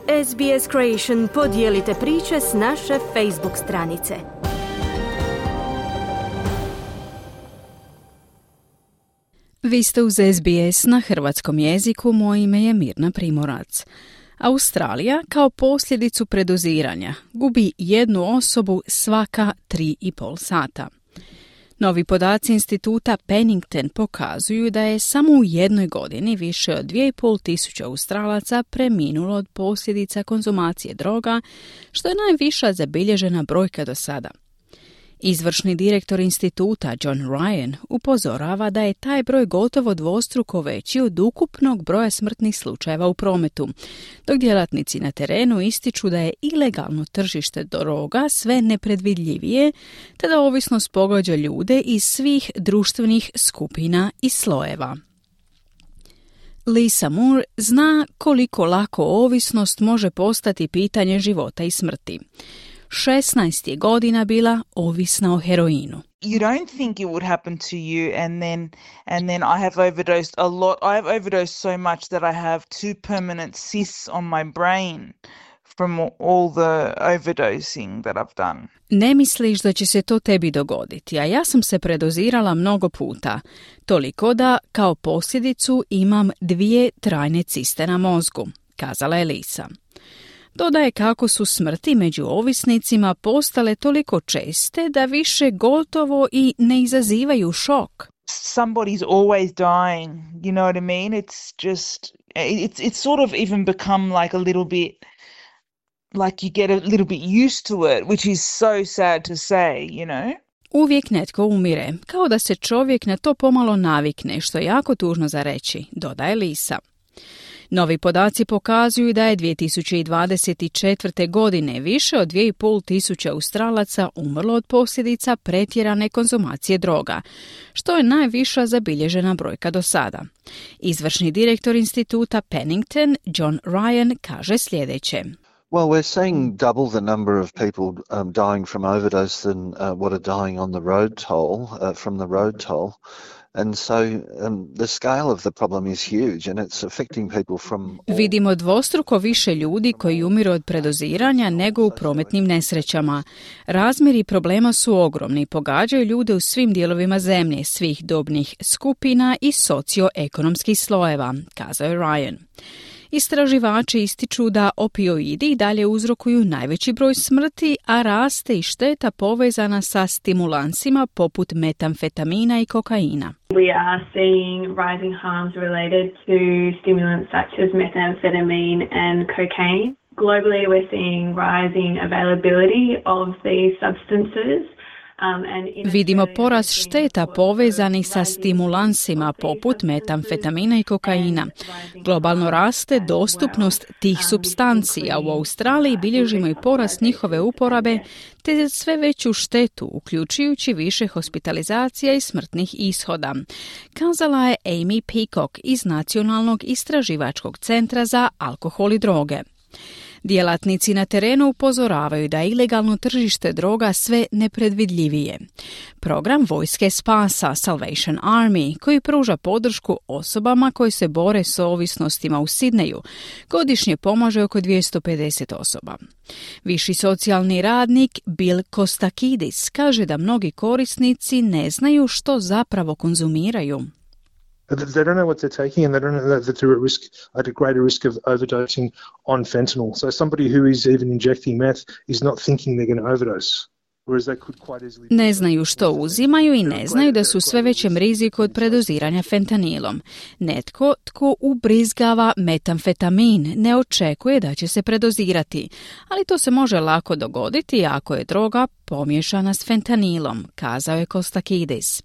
SBS Creation, podijelite priče s naše Facebook stranice. Vi ste uz SBS na hrvatskom jeziku, moje ime je Mirna Primorac. Australija kao posljedicu predoziranja gubi jednu osobu svaka 3,5 sata. Novi podaci instituta Pennington pokazuju da je samo u jednoj godini više od 2.500 Australaca preminulo od posljedica konzumacije droga, što je najviša zabilježena brojka do sada. Izvršni direktor instituta John Ryan upozorava da je taj broj gotovo dvostruko veći od ukupnog broja smrtnih slučajeva u prometu, dok djelatnici na terenu ističu da je ilegalno tržište droga sve nepredvidljivije, te da ovisnost pogađa ljude iz svih društvenih skupina i slojeva. Lisa Moore zna koliko lako ovisnost može postati pitanje života i smrti. 16 je godina bila ovisna o heroinu. You don't think it would happen to you, and then I have overdosed a lot. I have overdosed so much that I have 2 permanent cysts on my brain from all the overdosing that I've done. Ne misliš da će se to tebi dogoditi, a ja sam se predozirala mnogo puta. Toliko da kao posljedicu imam 2 trajne ciste na mozgu, kazala je Lisa. Dodaje kako su smrti među ovisnicima postale toliko česte da više gotovo i ne izazivaju šok. Somebody's always dying, you know what I mean? It's just, it's sort of even become like a little bit, like you get a little bit used to it, which is so sad to say, you know? Uvijek netko umire, kao da se čovjek na to pomalo navikne, što je jako tužno za reći, dodaje Lisa. Novi podaci pokazuju da je 2024. godine više od 2.500 Australaca umrlo od posljedica pretjerane konzumacije droga, što je najviša zabilježena brojka do sada. Izvršni direktor instituta Pennington, John Ryan, kaže sljedeće. Well, we're seeing double the number of people dying from overdose than what are dying on the road toll, from the road toll. And so the scale of the problem is huge and it's affecting people from... Vidimo dvostruko više ljudi koji umiru od predoziranja nego u prometnim nesrećama. Razmjeri problema su ogromni, pogađaju ljude u svim dijelovima zemlje, svih dobnih skupina i socioekonomskih slojeva, kazao je Ryan. Istraživači ističu da opioidi i dalje uzrokuju najveći broj smrti, a raste i šteta povezana sa stimulansima poput metamfetamina i kokaina. We are seeing rising harms related to stimulants such as methamphetamine and cocaine. Globally, we're seeing rising availability of these substances. Vidimo porast šteta povezanih sa stimulansima poput metamfetamina i kokaina. Globalno raste dostupnost tih supstanci, a u Australiji bilježimo i porast njihove uporabe te sve veću štetu, uključujući više hospitalizacija i smrtnih ishoda, kazala je Amy Peacock iz Nacionalnog istraživačkog centra za alkohol i droge. Djelatnici na terenu upozoravaju da je ilegalno tržište droga sve nepredvidljivije. Program Vojske spasa Salvation Army, koji pruža podršku osobama koji se bore s ovisnostima u Sidneju, godišnje pomaže oko 250 osoba. Viši socijalni radnik Bill Kostakidis kaže da mnogi korisnici ne znaju što zapravo konzumiraju. They don't know what they're taking and they don't know that they're at a greater risk of overdosing on fentanyl. So somebody who is even injecting meth is not thinking they're going to overdose. Ne znaju što uzimaju i ne znaju da su sve većem riziku od predoziranja fentanilom. Netko tko ubrizgava metamfetamin ne očekuje da će se predozirati, ali to se može lako dogoditi ako je droga pomiješana s fentanilom, kazao je Kostakidis.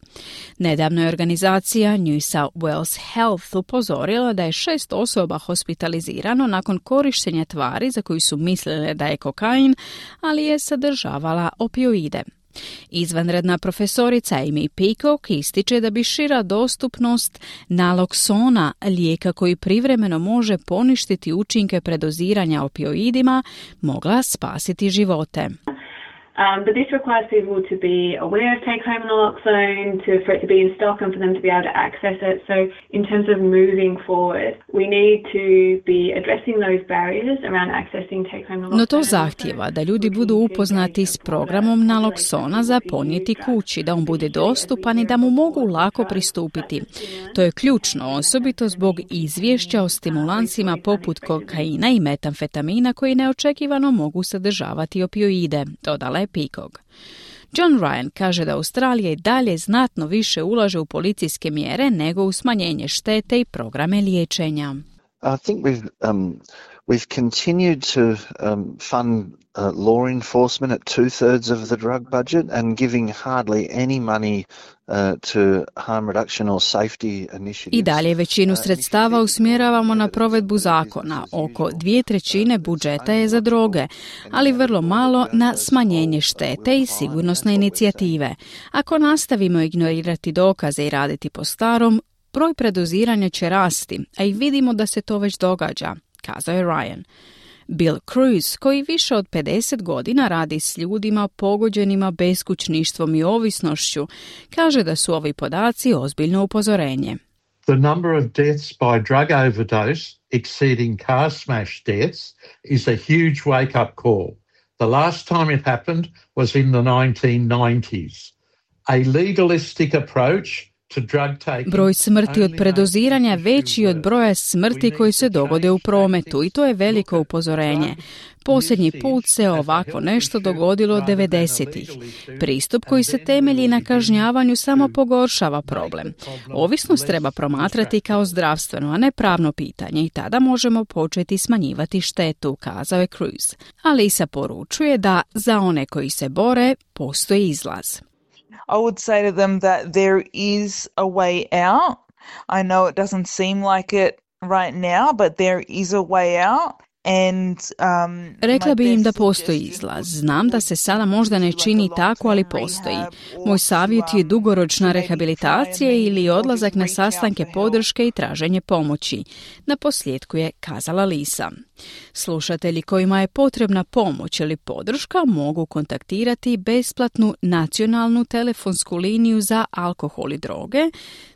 Nedavno je organizacija New South Wales Health upozorila da je 6 osoba hospitalizirano nakon korištenja tvari za koju su mislile da je kokain, ali je sadržavala opioide. Izvanredna profesorica Amy Peacock ističe da bi šira dostupnost naloksona, lijeka koji privremeno može poništiti učinke predoziranja opioidima, mogla spasiti živote. But this requires people to be aware of take-home naloxone, for it to be in stock and for them to be able to access it. So in terms of moving forward, we need to be addressing those barriers around accessing take-home naloxone. No to zahtijeva da ljudi budu upoznati s programom naloksona za ponijeti kući, da on bude dostupan i da mu mogu lako pristupiti. To je ključno, osobito zbog izvješća o stimulansima poput kokaina i metamfetamina koji neočekivano mogu sadržavati opioide, dodala je Peacock. John Ryan kaže da Australija i dalje znatno više ulaže u policijske mjere nego u smanjenje štete i programe liječenja. I think we've continued to fund law enforcement at 2/3 of the drug budget and giving hardly any money to harm reduction or safety initiatives. I dalje većinu sredstava usmjeravamo na provedbu zakona. Oko 2/3 budžeta je za droge, ali vrlo malo na smanjenje štete i sigurnosne inicijative. Ako nastavimo ignorirati dokaze i raditi po starom, broj predoziranja će rasti, a i vidimo da se to već događa, kazao je Ryan. Bill Cruz, koji više od 50 godina radi s ljudima pogođenima beskućništvom i ovisnošću, kaže da su ovi podaci ozbiljno upozorenje. The number of deaths by drug overdose exceeding car smash deaths is a huge wake-up call. The last time it happened was in the 1990s. A legalistic approach Broj smrti od predoziranja veći od broja smrti koji se dogode u prometu i to je veliko upozorenje. Posljednji put se ovako nešto dogodilo 90-ih. Pristup koji se temelji na kažnjavanju samo pogoršava problem. Ovisnost treba promatrati kao zdravstveno, a ne pravno pitanje i tada možemo početi smanjivati štetu, kazao je Cruz. Alisa poručuje da za one koji se bore postoji izlaz. I would say to them that there is a way out. I know it doesn't seem like it right now, but there is a way out. Rekla bi im da postoji izlaz. Znam da se sada možda ne čini tako, ali postoji. Moj savjet je dugoročna rehabilitacija ili odlazak na sastanke podrške i traženje pomoći. Na posljedku je kazala Lisa. Slušatelji kojima je potrebna pomoć ili podrška mogu kontaktirati besplatnu nacionalnu telefonsku liniju za alkohol i droge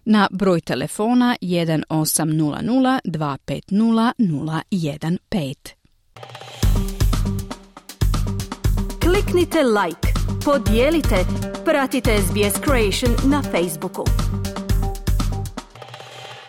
na broj telefona 1800 250 015. Kliknite like, podijelite, pratite SBS Creation na Facebooku.